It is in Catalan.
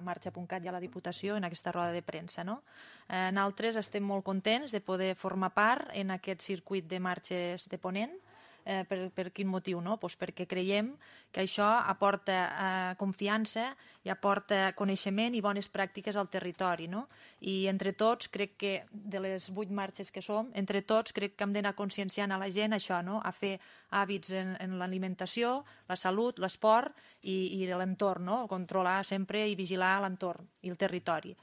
Marxa.cat i a la Diputació en aquesta roda de premsa. Nosaltres estem molt contents de poder formar part en aquest circuit de marxes de Ponent. Per quin motiu? Perquè creiem que això aporta confiança i aporta coneixement i bones pràctiques al territori. I entre tots, crec que de les 8 marxes que som, entre tots crec que hem d'anar conscienciant a la gent això, a fer hàbits en l'alimentació, la salut, l'esport i l'entorn, controlar sempre i vigilar l'entorn i el territori.